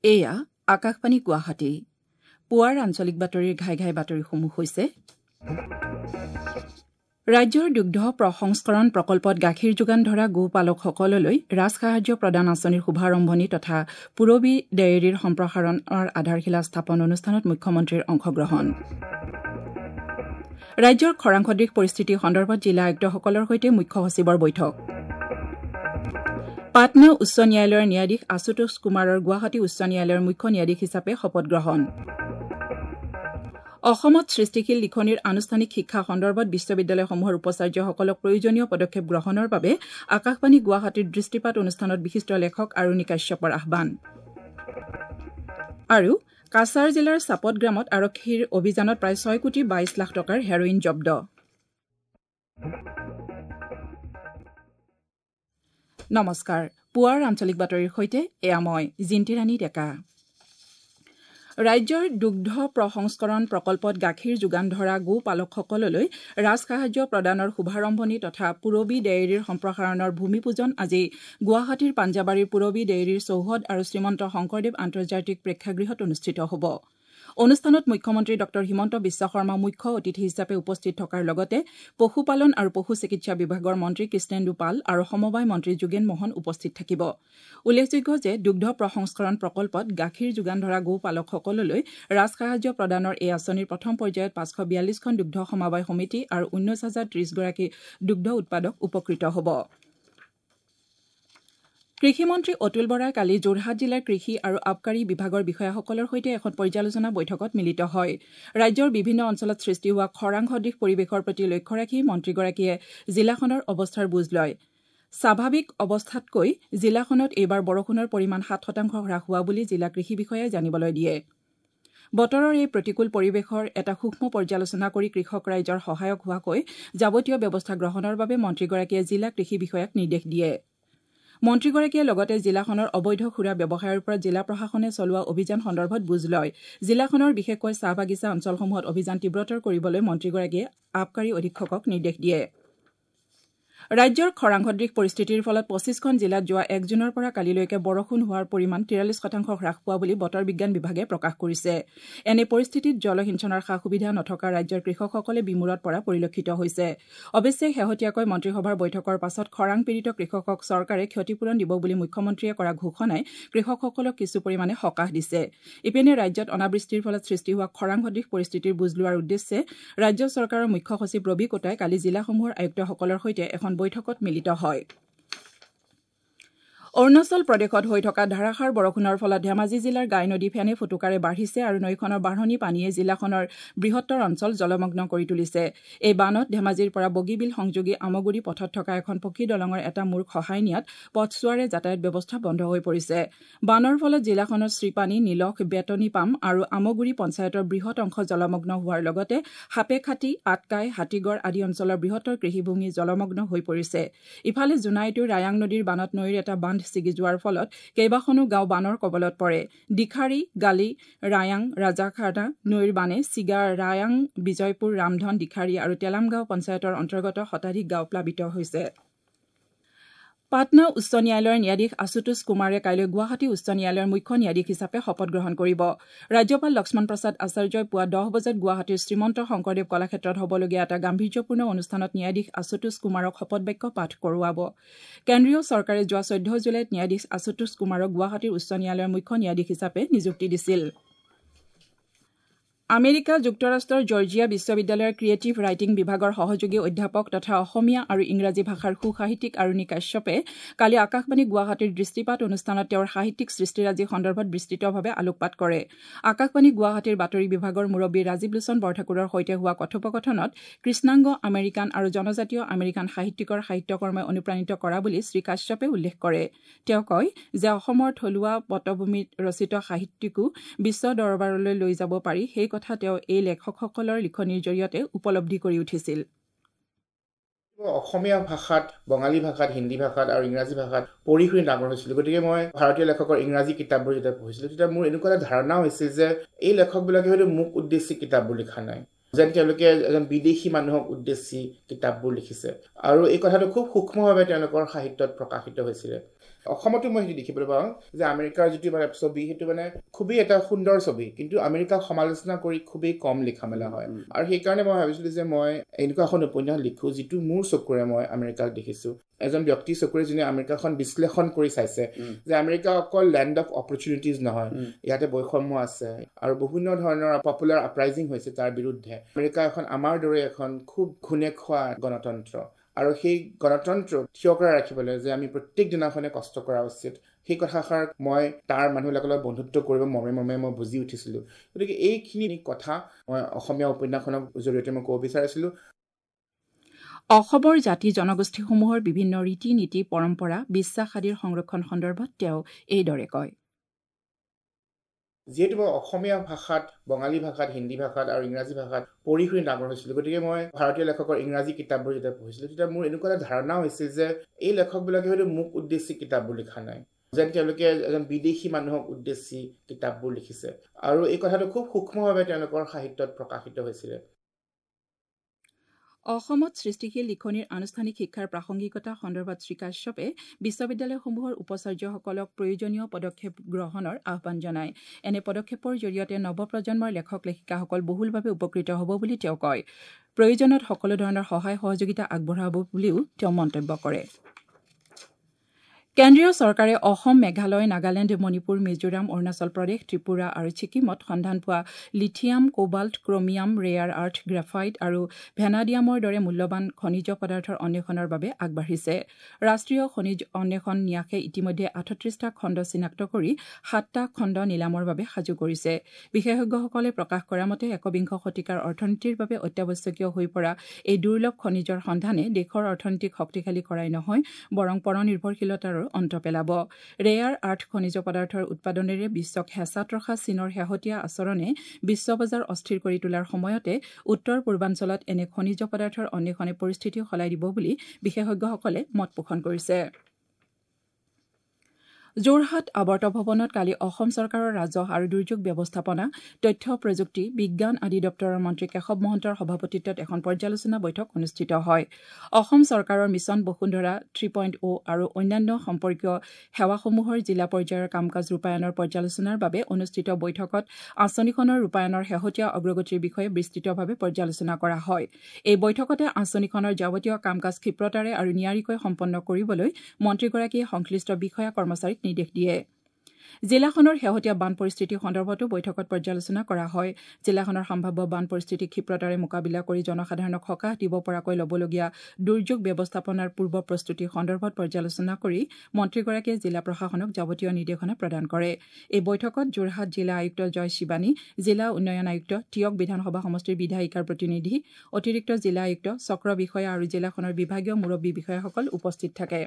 এয়া আকাশবাণী গুৱাহাটী। পুৱাৰ আঞ্চলিক বাতৰিৰ ঘাই ঘাই বাতৰিসমূহ হৈছে: ৰাজ্যৰ দুগ্ধ প্ৰসংস্কৰণ প্ৰকল্পত গাখীৰ যোগান ধৰা গো-পালকসকললৈ ৰাজসাহায্য প্ৰদান আঁচনিৰ শুভাৰম্ভণি তথা পূৰবী ডেইৰীৰ সম্প্ৰসাৰণৰ আধাৰশিলা স্থাপন অনুষ্ঠানত মুখ্যমন্ত্ৰীৰ অংশগ্ৰহণ। ৰাজ্যৰ খৰাং সদৃশ পৰিস্থিতি সন্দৰ্ভত জিলা আয়ুক্তসকলৰ সৈতে মুখ্য সচিবৰ বৈঠক। পাটনা উচ্চ ন্যায়ালয়ৰ ন্যায়াধীশ আশুতোষ কুমাৰৰ গুৱাহাটী উচ্চ ন্যায়ালয়ৰ মুখ্য ন্যায়াধীশ হিচাপে শপত গ্ৰহণ। অসমত সৃষ্টিশীল লিখনিৰ আনুষ্ঠানিক শিক্ষা সন্দৰ্ভত বিশ্ববিদ্যালয়সমূহৰ উপাচাৰ্যসকলক প্ৰয়োজনীয় পদক্ষেপ গ্ৰহণৰ বাবে আকাশবাণী গুৱাহাটীৰ দৃষ্টিপাত অনুষ্ঠানত বিশিষ্ট লেখক আৰুণি কাশ্যপৰ আহ্বান। আৰু কাছাৰ জিলাৰ চাপতগ্ৰামত আৰক্ষীৰ অভিযানত প্ৰায় 6 কোটি 22 লাখ টকাৰ হেৰইন জব্দ। নমস্কাৰ, পুৱাৰ আঞ্চলিক বাতৰিৰ সৈতে এয়া মই জিন্তিৰাণী ডেকা। ৰাজ্যৰ দুগ্ধ প্ৰসংস্কৰণ প্ৰকল্পত গাখীৰ যোগান ধৰা গো-পালকসকললৈ ৰাজসাহায্য প্ৰদানৰ শুভাৰম্ভণি তথা পূৰবী ডেইৰীৰ সম্প্ৰসাৰণৰ ভূমিপূজন আজি গুৱাহাটীৰ পাঞ্জাবাৰীৰ পূৰবী ডেইৰীৰ চৌহদ আৰু শ্ৰীমন্ত শংকৰদেৱ আন্তৰ্জাতিক প্ৰেক্ষাগৃহত অনুষ্ঠিত হ'ব। অনুষ্ঠানত মুখ্যমন্ত্ৰী ডঃ হিমন্ত বিশ্ব শৰ্মা মুখ্য অতিথি হিচাপে উপস্থিত থকাৰ লগতে পশুপালন আৰু পশু চিকিৎসা বিভাগৰ মন্ত্ৰী কৃষ্ণেন্দু পাল আৰু সমবায় মন্ত্ৰী যোগেন মহন উপস্থিত থাকিব। উল্লেখযোগ্য যে দুগ্ধ প্ৰসংস্কৰণ প্ৰকল্পত গাখীৰ যোগান ধৰা গো-পালকসকললৈ ৰাজসাহায্য প্ৰদানৰ এই আঁচনিৰ প্ৰথম পৰ্যায়ত 542খন দুগ্ধ সমবায় সমিতি আৰু 19,030 গৰাকী দুগ্ধ উৎপাদক উপকৃত হ'ব। কৃষিমন্ত্ৰী অতুল বৰাই কালি যোৰহাট জিলাৰ কৃষি আৰু আবকাৰী বিভাগৰ বিষয়াসকলৰ সৈতে এখন পৰ্যালোচনা বৈঠকত মিলিত হয়। ৰাজ্যৰ বিভিন্ন অঞ্চলত সৃষ্টি হোৱা খৰাং সদৃশ পৰিৱেশৰ প্ৰতি লক্ষ্য ৰাখি মন্ত্ৰীগৰাকীয়ে জিলাখনৰ অৱস্থাৰ বুজ লয়। স্বাভাৱিক অৱস্থাতকৈ জিলাখনত এইবাৰ বৰষুণৰ পৰিমাণ 7% হ্ৰাস হোৱা বুলি জিলা কৃষি বিষয়াই জানিবলৈ দিয়ে। বতৰৰ এই প্ৰতিকূল পৰিৱেশৰ এটা সূক্ষ্ম পৰ্যালোচনা কৰি কৃষক ৰাইজৰ সহায়ক হোৱাকৈ যাৱতীয় ব্যৱস্থা গ্ৰহণৰ বাবে মন্ত্ৰীগৰাকীয়ে জিলা কৃষি বিষয়াক নিৰ্দেশ দিয়ে। মন্ত্ৰীগৰাকীয়ে লগতে জিলাখনৰ অবৈধ সুৰা ব্যৱসায়ৰ ওপৰত জিলা প্ৰশাসনে চলোৱা অভিযান সন্দৰ্ভত বুজ লয়। জিলাখনৰ বিশেষকৈ চাহ বাগিচা অঞ্চলসমূহত অভিযান তীব্ৰতৰ কৰিবলৈ মন্ত্ৰীগৰাকীয়ে আবকাৰী অধীক্ষকক নিৰ্দেশ দিয়ে। ৰাজ্যৰ খৰাং সদৃশ পৰিস্থিতিৰ ফলত 25খন জিলাত যোৱা 1 জুনৰ পৰা কালিলৈকে বৰষুণ হোৱাৰ পৰিমাণ 43% হ্ৰাস পোৱা বুলি বতৰ বিজ্ঞান বিভাগে প্ৰকাশ কৰিছে। এনে পৰিস্থিতিত জলসিঞ্চনৰ সা-সুবিধা নথকা ৰাজ্যৰ কৃষকসকলে বিমূৰত পৰা পৰিলক্ষিত হৈছে। অৱশ্যে শেহতীয়াকৈ মন্ত্ৰীসভাৰ বৈঠকৰ পাছত খৰাং পীড়িত কৃষকক চৰকাৰে ক্ষতিপূৰণ দিব বুলি মুখ্যমন্ত্ৰীয়ে কৰা ঘোষণাই কৃষকসকলক কিছু পৰিমাণে সকাহ দিছে। ইপিনে ৰাজ্যত অনাবৃষ্টিৰ ফলত সৃষ্টি হোৱা খৰাং সদৃশ পৰিস্থিতিৰ বুজ লোৱাৰ উদ্দেশ্যে ৰাজ্য চৰকাৰৰ মুখ্য সচিব ৰবি কোটাই কালি জিলাসমূহৰ আয়ুক্তসকলৰ সৈতে এখন বৈঠকত মিলিত হয়। অৰুণাচল প্ৰদেশত হৈ থকা ধাৰাসাৰ বৰষুণৰ ফলত ধেমাজি জিলাৰ গাই নদী ফেনে ফুটুকাৰে বাঢ়িছে আৰু নৈখনৰ বাঢ়নী পানীয়ে জিলাখনৰ বৃহত্তৰ অঞ্চল জলমগ্ন কৰি তুলিছে। এই বানত ধেমাজিৰ পৰা বগীবিল সংযোগী আমগুৰি পথত থকা এখন পকী দলঙৰ এটা মূৰ খহাই নিয়াত পথছোৱাৰে যাতায়াত ব্যৱস্থা বন্ধ হৈ পৰিছে। বানৰ ফলত জিলাখনৰ শ্ৰীপানী, নিলখ, বেতনিপাম আৰু আমগুৰি পঞ্চায়তৰ বৃহৎ অংশ জলমগ্ন হোৱাৰ লগতে সাপেখাতী, আটকাই, হাতীগড় আদি অঞ্চলৰ বৃহত্তৰ কৃষিভূমি জলমগ্ন হৈ পৰিছে। ইফালে জোনাইতো ৰায়াং নদীৰ বানত নৈৰ এটা বান্ধ ছিগি যোৱাৰ ফলত কেইবাখনো গাঁও বানৰ কবলত পৰে। দিখাৰী, গালি, ৰায়াং, ৰাজাখানা নৈৰ বানে ছিগা ৰায়াং, বিজয়পুৰ, ৰামধন, দিখাৰী আৰু তেলাম গাঁও পঞ্চায়তৰ অন্তৰ্গত শতাধিক গাঁও প্লাবিত হৈছে। পাটনা উচ্চ ন্যায়ালয়ৰ ন্যায়াধীশ আশুতোষ কুমাৰে কাইলৈ গুৱাহাটী উচ্চ ন্যায়ালয়ৰ মুখ্য ন্যায়াধীশ হিচাপে শপত গ্ৰহণ কৰিব। ৰাজ্যপাল লক্ষ্মণ প্ৰসাদ আচাৰ্যই পুৱা 10 বজাত গুৱাহাটীৰ শ্ৰীমন্ত শংকৰদেৱ কলাক্ষেত্ৰত হ'বলগীয়া এটা গাম্ভীৰ্যপূৰ্ণ অনুষ্ঠানত ন্যায়াধীশ আশুতোষ কুমাৰক শপতবাক্য পাঠ কৰোৱাব। কেন্দ্ৰীয় চৰকাৰে যোৱা 14 জুলাইত ন্যায়াধীশ আশুতোষ কুমাৰক গুৱাহাটীৰ উচ্চ ন্যায়ালয়ৰ মুখ্য ন্যায়াধীশ হিচাপে নিযুক্তি দিছিল। আমেৰিকা যুক্তৰাষ্ট্ৰৰ জৰ্জিয়া বিশ্ববিদ্যালয়ৰ ক্ৰিয়েটিভ ৰাইটিং বিভাগৰ সহযোগী অধ্যাপক তথা অসমীয়া আৰু ইংৰাজী ভাষাৰ সুসাহিত্যিক আৰুণি কাশ্যপে কালি আকাশবাণী গুৱাহাটীৰ দৃষ্টিপাত অনুষ্ঠানত তেওঁৰ সাহিত্যিক সৃষ্টিৰাজি সন্দৰ্ভত বিস্তৃতভাৱে আলোকপাত কৰে। আকাশবাণী গুৱাহাটীৰ বাতৰি বিভাগৰ মুৰব্বী ৰাজীৱ লোচন বৰঠাকুৰৰ সৈতে হোৱা কথোপকথনত কৃষ্ণাংগ আমেৰিকান আৰু জনজাতীয় আমেৰিকান সাহিত্যিকৰ সাহিত্যকৰ্মই অনুপ্ৰাণিত কৰা বুলি শ্ৰী কাশ্যপে উল্লেখ কৰে। তেওঁ কয় যে অসমৰ থলুৱা পটভূমিত ৰচিত সাহিত্যিকো বিশ্ব দৰবাৰলৈ লৈ যাব পাৰি, সেই কথা তেওঁ এই লেখকসকলৰ লিখনিৰ জৰিয়তে উপলব্ধি কৰি উঠিছিল। অসমীয়া ভাষাত, বঙালী ভাষাত, হিন্দী ভাষাত আৰু ইংৰাজী ভাষাত পঢ়ি শুনি ডাঙৰ হৈছিলোঁ। গতিকে মই ভাৰতীয় লেখকৰ ইংৰাজী কিতাপবোৰ যেতিয়া পঢ়িছিলোঁ তেতিয়া মোৰ এনেকুৱা এটা ধাৰণা হৈছিল যে এই লেখকবিলাকে হয়তো মোক উদ্দেশ্যি কিতাপবোৰ লিখা নাই, যেন তেওঁলোকে এজন বিদেশী মানুহক উদ্দেশ্যি কিতাপবোৰ লিখিছে। আৰু এই কথাটো খুব সূক্ষ্মভাৱে তেওঁলোকৰ সাহিত্যত প্ৰকাশিত হৈছিলে। অসমতো মই সেইটো দেখিবলৈ পাওঁ যে আমেৰিকাৰ যিটো মানে ছবি, সেইটো মানে খুবেই এটা সুন্দৰ ছবি, কিন্তু আমেৰিকাক সমালোচনা কৰি খুবেই কম লিখা মেলা হয়। আৰু সেইকাৰণে মই ভাবিছিলোঁ যে মই এনেকুৱা এখন উপন্যাস লিখোঁ যিটো মোৰ চকুৰে মই আমেৰিকাক দেখিছোঁ, এজন ব্যক্তিৰ চকুৰে যোনে আমেৰিকাখন বিশ্লেষণ কৰি চাইছে যে আমেৰিকা অকল লেণ্ড অফ অপৰচুনিটিজ নহয়, ইয়াতে বৈষম্য আছে আৰু বিভিন্ন ধৰণৰ পপুলাৰ আপৰাইজিং হৈছে তাৰ বিৰুদ্ধে। আমেৰিকা এখন আমাৰ দৰে এখন খুব ঘূণে খোৱা গণতন্ত্ৰ, আৰু সেই গণতন্ত্ৰ থিয় কৰাই ৰাখিবলৈ যে আমি প্ৰত্যেক দিনাখনে কষ্ট কৰা উচিত, সেই কথাষাৰ মই তাৰ মানুহবিলাকৰ লগত বন্ধুত্ব কৰিব মৰ্মে মৰ্মে মই বুজি উঠিছিলোঁ। গতিকে এইখিনি কথা মই অসমীয়া উপন্যাসখনৰ জৰিয়তে মই ক'ব বিচাৰিছিলোঁ। অসমৰ জাতি জনগোষ্ঠীসমূহৰ বিভিন্ন ৰীতি নীতি, পৰম্পৰা, বিশ্বাস আদিৰ সংৰক্ষণ সন্দৰ্ভত তেওঁ এইদৰে কয়। যিহেতু মই অসমীয়া ভাষাত, বঙালী ভাষাত, হিন্দী ভাষাত আৰু ইংৰাজী ভাষাত পঢ়ি শুনি ডাঙৰ হৈছিলোঁ, গতিকে মই ভাৰতীয় লেখকৰ ইংৰাজী কিতাপবোৰ যেতিয়া পঢ়িছিলোঁ তেতিয়া মোৰ এনেকুৱা এটা ধাৰণা হৈছিল যে এই লেখকবিলাকে হয়তো মোক উদ্দেশ্যি কিতাপবোৰ লিখা নাই, যেন তেওঁলোকে এজন বিদেশী মানুহক উদ্দেশ্যি কিতাপবোৰ লিখিছে। আৰু এই কথাটো খুব সূক্ষ্মভাৱে তেওঁলোকৰ সাহিত্যত প্ৰকাশিত হৈছিলে। অসমত সৃষ্টিশীল লিখনিৰ আনুষ্ঠানিক শিক্ষাৰ প্ৰাসংগিকতা সন্দৰ্ভত শ্ৰীকাশ্যপে বিশ্ববিদ্যালয়সমূহৰ উপাচাৰ্যসকলক প্ৰয়োজনীয় পদক্ষেপ গ্ৰহণৰ আহ্বান জনায়। এনে পদক্ষেপৰ জৰিয়তে নৱপ্ৰজন্মৰ লেখক লেখিকাসকল বহুলভাৱে উপকৃত হ'ব বুলি তেওঁ কয়। প্ৰয়োজনত সকলো ধৰণৰ সহায় সহযোগিতা আগবঢ়াব বুলিও তেওঁ মন্তব্য কৰে। কেন্দ্ৰীয় চৰকাৰে অসম, মেঘালয়, নাগালেণ্ড, মণিপুৰ, মিজোৰাম, অৰুণাচল প্ৰদেশ, ত্ৰিপুৰা আৰু ছিকিমত সন্ধান পোৱা lithium, cobalt, chromium, rare earth, graphite আৰু ভেনাডিয়ামৰ দৰে মূল্যৱান খনিজ পদাৰ্থৰ অন্বেষণৰ বাবে আগবাঢ়িছে। ৰাষ্ট্ৰীয় খনিজ অন্বেষণ ন্যাসে ইতিমধ্যে 38টা খণ্ড চিনাক্ত কৰি 7টা খণ্ড নিলামৰ বাবে সাজু কৰিছে। বিশেষজ্ঞসকলে প্ৰকাশ কৰা মতে একবিংশ শতিকাৰ অৰ্থনীতিৰ বাবে অত্যাৱশ্যকীয় হৈ পৰা এই দুৰ্লভ খনিজৰ সন্ধানে দেশৰ অৰ্থনীতিক শক্তিশালী কৰাই নহয়, বৰং পৰনিৰ্ভৰশীলতাৰো অন্ত পেলাব। ৰেয়াৰ আৰ্থ খনিজ পদাৰ্থৰ উৎপাদনেৰে বিশ্বক হেঁচাত ৰখা চীনৰ শেহতীয়া আচৰণে বিশ্ব বজাৰ অস্থিৰ কৰি তোলাৰ সময়তে উত্তৰ পূৰ্বাঞ্চলত এনে খনিজ পদাৰ্থৰ অন্বেষণে পৰিস্থিতি সলাই দিব বুলি বিশেষজ্ঞসকলে মত পোষণ কৰিছে। যোৰহাট আৱৰ্ত ভৱনত কালি অসম চৰকাৰৰ ৰাজহ আৰু দুৰ্যোগ ব্যৱস্থাপনা, তথ্য প্ৰযুক্তি, বিজ্ঞান আদি দপ্তৰৰ মন্ত্ৰী কেশৱ মহন্তৰ সভাপতিত্বত এখন পৰ্যালোচনা বৈঠক অনুষ্ঠিত হয়। অসম চৰকাৰৰ মিছন বসুন্ধৰা 3.0 আৰু অন্যান্য সম্পৰ্কীয় সেৱাসমূহৰ জিলা পৰ্যায়ৰ কাম কাজ ৰূপায়ণৰ পৰ্যালোচনাৰ বাবে অনুষ্ঠিত বৈঠকত আঁচনিখনৰ ৰূপায়ণৰ শেহতীয়া অগ্ৰগতিৰ বিষয়ে বিস্তৃতভাৱে পৰ্যালোচনা কৰা হয়। এই বৈঠকতে আঁচনিখনৰ যাৱতীয় কাম কাজ ক্ষিপ্ৰতাৰে আৰু নিয়াৰিকৈ সম্পন্ন কৰিবলৈ মন্ত্ৰীগৰাকীয়ে সংশ্লিষ্ট বিষয়া কৰ্মচাৰীক নিৰ্দেশ দিয়ে। জিলাখনৰ শেহতীয়া বান পৰিস্থিতি সন্দৰ্ভতো বৈঠকত পৰ্যালোচনা কৰা হয়। জিলাখনৰ সম্ভাৱ্য বান পৰিস্থিতি ক্ষিপ্ৰতাৰে মোকাবিলা কৰি জনসাধাৰণক সকাহ দিব পৰাকৈ ল'বলগীয়া দুৰ্যোগ ব্যৱস্থাপনাৰ পূৰ্ব প্ৰস্তুতি সন্দৰ্ভত পৰ্যালোচনা কৰি মন্ত্ৰীগৰাকীয়ে জিলা প্ৰশাসনক যাৱতীয় নিৰ্দেশনা প্ৰদান কৰে। এই বৈঠকত যোৰহাট জিলা আয়ুক্ত জয় শিৱানী, জিলা উন্নয়ন আয়ুক্ত, টীয়ক বিধানসভা সমষ্টিৰ বিধায়িকাৰ প্ৰতিনিধি, অতিৰিক্ত জিলা আয়ুক্ত, চক্ৰ বিষয়া আৰু জিলাখনৰ বিভাগীয় মুৰব্বী বিষয়াসকল উপস্থিত থাকে।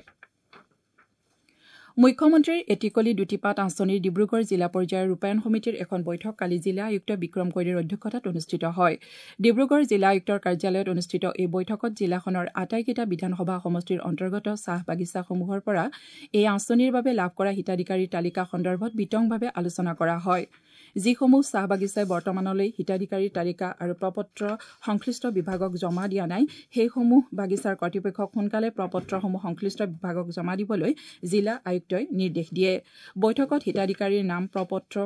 মুখ্যমন্ত্ৰীৰ এটিকলি দুটি পাত আঁচনিৰ ডিব্ৰুগড় জিলা পৰ্যায়ৰ ৰূপায়ণ সমিতিৰ এখন বৈঠক কালি জিলা আয়ুক্ত বিক্ৰম কৈৰীৰ অধ্যক্ষতাত অনুষ্ঠিত হয়। ডিব্ৰুগড় জিলা আয়ুক্তৰ কাৰ্যালয়ত অনুষ্ঠিত এই বৈঠকত জিলাখনৰ আটাইকেইটা বিধানসভা সমষ্টিৰ অন্তৰ্গত চাহ বাগিচাসমূহৰ পৰা এই আঁচনিৰ বাবে লাভ কৰা হিতাধিকাৰীৰ তালিকা সন্দৰ্ভত বিতংভাৱে আলোচনা কৰা হয়। যিসমূহ চাহ বাগিচাই বৰ্তমানলৈ হিতাধিকাৰীৰ তালিকা আৰু প্ৰপত্ৰ সংশ্লিষ্ট বিভাগক জমা দিয়া নাই, সেইসমূহ বাগিচাৰ কৰ্তৃপক্ষক সোনকালে প্ৰপত্ৰসমূহ সংশ্লিষ্ট বিভাগক জমা দিবলৈ জিলা আয়ুক্তই নিৰ্দেশ দিয়ে। বৈঠকত হিতাধিকাৰীৰ নাম প্ৰপত্ৰ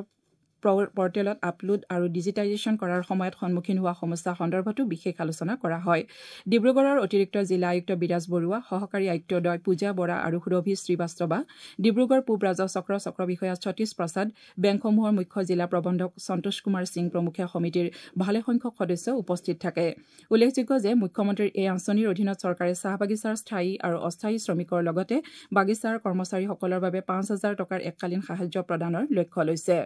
পৰ্টেলত আপলোড আৰু ডিজিটাইজেশ্যন কৰাৰ সময়ত সন্মুখীন হোৱা সমস্যা সন্দৰ্ভতো বিশেষ আলোচনা কৰা হয়। ডিব্ৰুগড়ৰ অতিৰিক্ত জিলা আয়ুক্ত বিৰাজ বৰুৱা, সহকাৰী আয়ুক্তদ্বয় পূজা বৰা আৰু সুৰভি শ্ৰীবাস্তৱা, ডিব্ৰুগড় পূব ৰাজহ চক্ৰ চক্ৰ বিষয়া সতীশ প্ৰসাদ, বেংকসমূহৰ মুখ্য জিলা প্ৰবন্ধক সন্তোষ কুমাৰ সিং প্ৰমুখ্যে সমিতিৰ ভালেসংখ্যক সদস্য উপস্থিত থাকে। উল্লেখযোগ্য যে মুখ্যমন্ত্ৰীৰ এই আঁচনিৰ অধীনত চৰকাৰে চাহ বাগিচাৰ স্থায়ী আৰু অস্থায়ী শ্ৰমিকৰ লগতে বাগিচাৰ কৰ্মচাৰীসকলৰ বাবে 5,000 টকাৰ এককালীন সাহায্য প্ৰদানৰ লক্ষ্য লৈছে।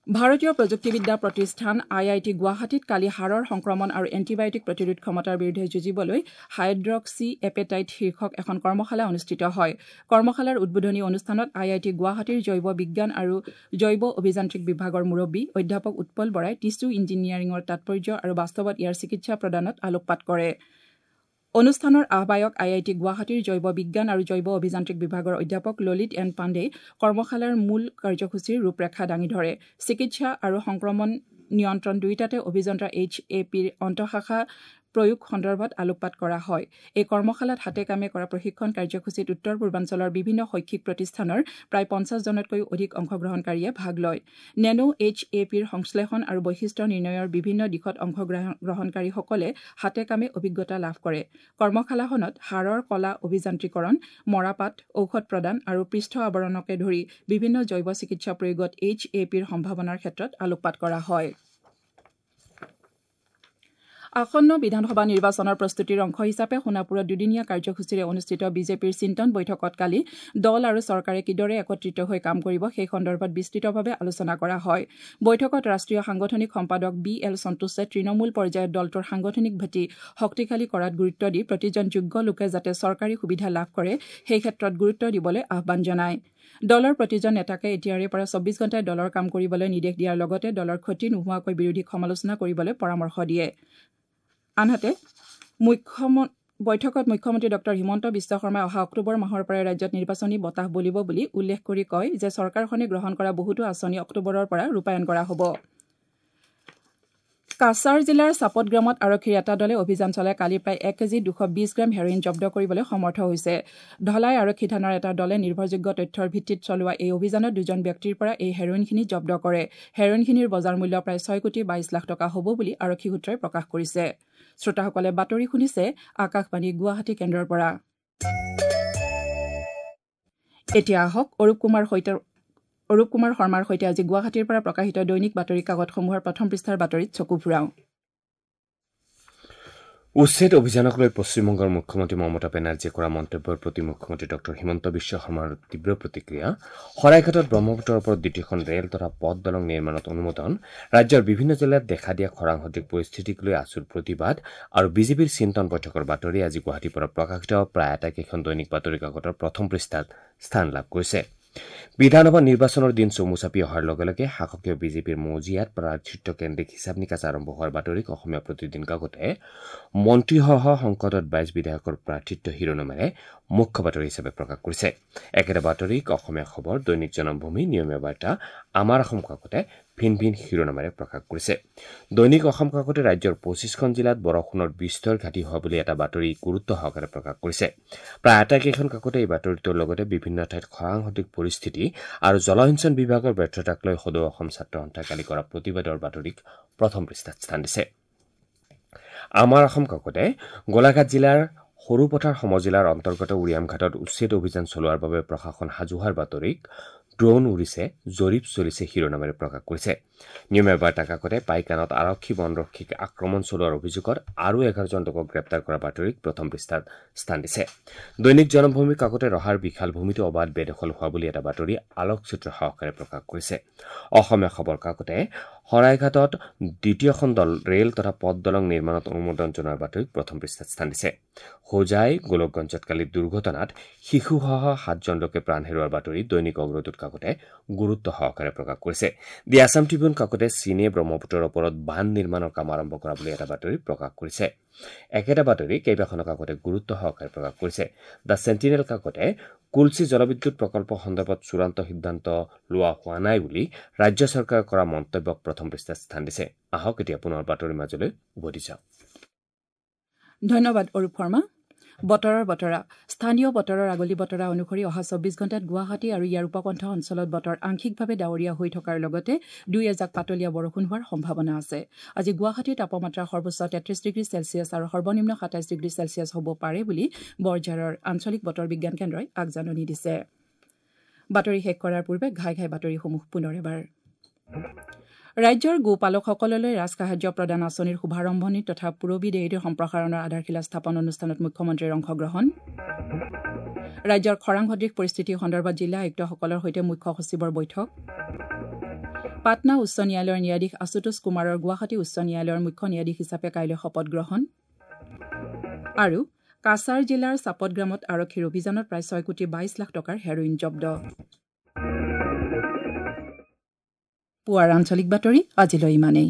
ভাৰতীয় প্ৰযুক্তিবিদ্যা প্ৰতিষ্ঠান আই I T গুৱাহাটীত কালি হাড়ৰ সংক্ৰমণ আৰু এণ্টিবায়টিক প্ৰতিৰোধ ক্ষমতাৰ বিৰুদ্ধে যুঁজিবলৈ হাইড্ৰক্সি এপেটাইট শীৰ্ষক এখন কৰ্মশালা অনুষ্ঠিত হয়। কৰ্মশালাৰ উদ্বোধনী অনুষ্ঠানত আই I T গুৱাহাটীৰ জৈৱ বিজ্ঞান আৰু জৈৱ অভিযান্ত্ৰিক বিভাগৰ মুৰব্বী অধ্যাপক উৎপল বৰাই টিছু ইঞ্জিনিয়াৰিঙৰ তাৎপৰ্য আৰু বাস্তৱত ইয়াৰ চিকিৎসা প্ৰদানত আলোকপাত কৰে। অনুষ্ঠানৰ আহ্বায়ক আই I T গুৱাহাটীৰ জৈৱ বিজ্ঞান আৰু জৈৱ অভিযান্ত্ৰিক বিভাগৰ অধ্যাপক ললিত এন পাণ্ডে কৰ্মশালাৰ মূল কাৰ্যসূচীৰ ৰূপৰেখা দাঙি ধৰে। চিকিৎসা আৰু সংক্ৰমণ নিয়ন্ত্ৰণ দুয়োটাতে অভিযন্তা এইচ এ পিৰ অন্তঃশাখা প্ৰয়োগ সন্দৰ্ভত আলোকপাত কৰা হয়। এই কৰ্মশালাত হাতে কামে কৰা প্ৰশিক্ষণ কাৰ্যসূচীত উত্তৰ পূৰ্বাঞ্চলৰ বিভিন্ন শৈক্ষিক প্ৰতিষ্ঠানৰ প্ৰায় 50 জনতকৈও অধিক অংশগ্ৰহণকাৰীয়ে ভাগ লয়। নেনো এইচ এ পিৰ সংশ্লেষণ আৰু বৈশিষ্ট্য নিৰ্ণয়ৰ বিভিন্ন দিশত অংশগ্ৰহণকাৰীসকলে হাতে কামে অভিজ্ঞতা লাভ কৰে। কৰ্মশালাখনত হাড়ৰ কলা অভিযান্ত্ৰিকৰণ, মৰাপাট, ঔষধ প্ৰদান আৰু পৃষ্ঠ আৱৰণকে ধৰি বিভিন্ন জৈৱ চিকিৎসা প্ৰয়োগত এইচ এ পিৰ সম্ভাৱনাৰ ক্ষেত্ৰত আলোকপাত কৰা হয়। আসন্ন বিধানসভা নিৰ্বাচনৰ প্ৰস্তুতিৰ অংশ হিচাপে সোণাপুৰত দুদিনীয়া কাৰ্যসূচীৰে অনুষ্ঠিত বিজেপিৰ চিন্তন বৈঠকত কালি দল আৰু চৰকাৰে কিদৰে একত্ৰিত হৈ কাম কৰিব সেই সন্দৰ্ভত বিস্তৃতভাৱে আলোচনা কৰা হয়। বৈঠকত ৰাষ্ট্ৰীয় সাংগঠনিক সম্পাদক বি এল সন্তোষে তৃণমূল পৰ্যায়ত দলটোৰ সাংগঠনিক ভেটি শক্তিশালী কৰাত গুৰুত্ব দি প্ৰতিজন যোগ্য লোকে যাতে চৰকাৰী সুবিধা লাভ কৰে সেই ক্ষেত্ৰত গুৰুত্ব দিবলৈ আহ্বান জনায়। দলৰ প্ৰতিজন নেতাকে এতিয়াৰে পৰা 24 ঘণ্টাই দলৰ কাম কৰিবলৈ নিৰ্দেশ দিয়াৰ লগতে দলৰ ক্ষতি নোহোৱাকৈ বিৰোধীক সমালোচনা কৰিবলৈ পৰামৰ্শ দিয়ে। আনহাতে বৈঠকত মুখ্যমন্ত্ৰী ডঃ হিমন্ত বিশ্ব শৰ্মাই অহা অক্টোবৰ মাহৰ পৰাই ৰাজ্যত নিৰ্বাচনী বতাহ বলিব বুলি উল্লেখ কৰি কয় যে চৰকাৰখনে গ্ৰহণ কৰা বহুতো আঁচনি অক্টোবৰৰ পৰা ৰূপায়ণ কৰা হ'ব। কাছাৰ জিলাৰ চাপটগ্ৰামত আৰক্ষীৰ এটা দলে অভিযান চলাই কালি প্ৰায় 1 কেজি 220 গ্ৰাম হেৰইন জব্দ কৰিবলৈ সমৰ্থ হৈছে। ধলাই আৰক্ষী থানাৰ এটা দলে নিৰ্ভৰযোগ্য তথ্যৰ ভিত্তিত চলোৱা এই অভিযানত দুজন ব্যক্তিৰ পৰা এই হেৰইনখিনি জব্দ কৰে। হেৰইনখিনিৰ বজাৰ মূল্য প্ৰায় 6 কোটি 22 লাখ টকা হ'ব বুলি আৰক্ষী সূত্ৰই প্ৰকাশ কৰিছে। শ্ৰোতাসকলে বাতৰি শুনিছে আকাশবাণী গুৱাহাটী কেন্দ্ৰৰ পৰা। এতিয়া আহক অৰূপ কুমাৰ শৰ্মাৰ সৈতে আজি গুৱাহাটীৰ পৰা প্ৰকাশিত দৈনিক বাতৰি কাকতসমূহৰ প্ৰথম পৃষ্ঠাৰ বাতৰিত চকু ফুৰাওঁ। উচ্ছেদ অভিযানক লৈ পশ্চিমবংগৰ মুখ্যমন্ত্ৰী মমতা বেনাৰ্জীয়ে কৰা মন্তব্যৰ প্ৰতি মুখ্যমন্ত্ৰী ডঃ হিমন্ত বিশ্ব শৰ্মাৰ তীব্ৰ প্ৰতিক্ৰিয়া। শৰাইঘাটত ব্ৰহ্মপুত্ৰৰ ওপৰত দ্বিতীয়খন ৰেল তথা পথ দলং নিৰ্মাণত অনুমোদন, ৰাজ্যৰ বিভিন্ন জিলাত দেখা দিয়া খৰাং সদৃশ পৰিস্থিতিক লৈ আছুৰ প্ৰতিবাদ আৰু বিজেপিৰ চিন্তন বৈঠকৰ বাতৰি আজি গুৱাহাটীৰ পৰা প্ৰকাশিত প্ৰায় আটাইকেইখন দৈনিক বাতৰি কাকতৰ প্ৰথম পৃষ্ঠাত স্থান লাভ কৰিছে। বিধানসভা নিৰ্বাচনৰ দিন চমু চাপি অহাৰ লগে লগে শাসকীয় বিজেপিৰ মজিয়াত প্ৰাৰ্থিত্ব কেন্দ্ৰিক হিচাপ নিকাচ আৰম্ভ হোৱাৰ বাতৰিক অসমীয়া প্ৰতিদিন কাকতে মন্ত্ৰীসহ সংকটত 22 বিধায়কৰ প্ৰাৰ্থিত্ব শিৰোনামেৰে মুখ্য বাতৰি হিচাপে প্ৰকাশ কৰিছে। একেটা বাতৰিক অসমীয়া খবৰ, দৈনিক জনমভূমি, নিয়মীয়া বাৰ্তা, আমাৰ অসম কাকতে ভিন ভিন শিৰোনামেৰে প্ৰকাশ কৰিছে। দৈনিক অসম কাকতে ৰাজ্যৰ 25খন জিলাত বৰষুণৰ বিস্তৰ ঘাটি হোৱা বুলি এটা বাতৰি গুৰুত্ব সহকাৰে প্ৰকাশ কৰিছে। প্ৰায় আটাইকেইখন কাকতে এই বাতৰিটোৰ লগতে বিভিন্ন ঠাইত খৰাং সদৃশ পৰিস্থিতি আৰু জলসিঞ্চন বিভাগৰ ব্যৰ্থতাক লৈ সদৌ অসম ছাত্ৰ সন্থাই কালি কৰা প্ৰতিবাদৰ বাতৰিক প্ৰথম পৃষ্ঠাত স্থান দিছে। আমাৰ অসম কাকতে গোলাঘাট জিলাৰ সৰুপথাৰ সমজিলাৰ অন্তৰ্গত উৰিয়ামঘাটত উচ্ছেদ অভিযান চলোৱাৰ বাবে প্ৰশাসন সাজু হোৱাৰ বাতৰিক ড্ৰোন উৰিছে জৰীপ চলিছে শিৰোনামেৰে প্ৰকাশ কৰিছে। নিয়মীয়া বাৰ্তা কাকতে পাইকানত আৰক্ষী বনৰক্ষীক আক্ৰমণ চলোৱাৰ অভিযোগত আৰু 11 জন লোকক গ্ৰেপ্তাৰ কৰা বাতৰিক প্ৰথম পৃষ্ঠাত স্থান দিছে। দৈনিক জনমভূমি কাকতে ৰহাৰ বিশাল ভূমিত অবাধ বেদখল হোৱা বুলি এটা বাতৰি আলোকচিত্ৰ সহকাৰে প্ৰকাশ কৰিছে। অসমীয়া খবৰ কাকতে শৰাইঘাটত দ্বিতীয়খন দল ৰেল তথা পথ দলং নিৰ্মাণত অনুমোদন জনোৱাৰ বাতৰিক প্ৰথম পৃষ্ঠাত স্থান দিছে। হোজাই গোলকগঞ্জত কালি দুৰ্ঘটনাত শিশুসহ 7 জন লোকে প্ৰাণ হেৰুৱাৰ বাতৰি দৈনিক অগ্ৰদূত কাকতে গুৰুত্ব সহকাৰে প্ৰকাশ কৰিছে। দি আছাম ট্ৰিবিউন কাকতে চীনে ব্ৰহ্মপুত্ৰৰ ওপৰত বান্ধ নিৰ্মাণৰ কাম আৰম্ভ কৰা বুলি এটা বাতৰি প্ৰকাশ কৰিছে। একেটা বাতৰি কেইবাখনো কাকতে গুৰুত্ব সহকাৰে প্ৰকাশ কৰিছে। The sentinel কাকতে কুলচি জলবিদ্যুৎ প্ৰকল্প সন্দৰ্ভত চূড়ান্ত সিদ্ধান্ত লোৱা হোৱা নাই বুলি ৰাজ্য চৰকাৰে কৰা মন্তব্যক প্ৰথম পৃষ্ঠাত স্থান দিছে। আহক এতিয়া পুনৰ বাতৰিৰ মাজলৈ উভতি যাওঁ। ধন্যবাদ অৰূপ শৰ্মা। বতৰৰ বতৰা। স্থানীয় বতৰৰ আগলি বতৰা অনুসৰি অহা 24 ঘণ্টাত গুৱাহাটী আৰু ইয়াৰ উপকণ্ঠ অঞ্চলত বতৰ আংশিকভাৱে ডাৱৰীয়া হৈ থকাৰ লগতে দুই এজাক পাতলীয়া বৰষুণ হোৱাৰ সম্ভাৱনা আছে। আজি গুৱাহাটীৰ তাপমাত্ৰা সৰ্বোচ্চ 33 ডিগ্ৰী চেলছিয়াছ আৰু সৰ্বনিম্ন 27 ডিগ্ৰী চেলছিয়াছ হ'ব পাৰে বুলি বৰঝাৰৰ আঞ্চলিক বতৰ বিজ্ঞান কেন্দ্ৰই আগজাননী দিছে। বাতৰি শেষ কৰাৰ পূৰ্বে ঘাই ঘাই বাতৰিসমূহ পুনৰ এবাৰ। ৰাজ্যৰ গোপালকসকললৈ ৰাজসাহায্য প্ৰদান আঁচনিৰ শুভাৰম্ভণি তথা পূৰবী ডেইৰীৰ সম্প্ৰসাৰণৰ আধাৰশিলা স্থাপন অনুষ্ঠানত মুখ্যমন্ত্ৰীৰ অংশগ্ৰহণ। ৰাজ্যৰ খৰাং সদৃশ পৰিস্থিতি সন্দৰ্ভত জিলা আয়ুক্তসকলৰ সৈতে মুখ্য সচিবৰ বৈঠক। পাটনা উচ্চ ন্যায়ালয়ৰ ন্যায়াধীশ আশুতোষ কুমাৰৰ গুৱাহাটী উচ্চ ন্যায়ালয়ৰ মুখ্য ন্যায়াধীশ হিচাপে কাইলৈ শপত গ্ৰহণ। আৰু কাছাৰ জিলাৰ চাপটগ্ৰামত আৰক্ষীৰ অভিযানত প্ৰায় 6 কোটি 22 লাখ টকাৰ হেৰইন জব্দ। পুৱাৰ আঞ্চলিক বাতৰি আজিলৈ ইমানেই।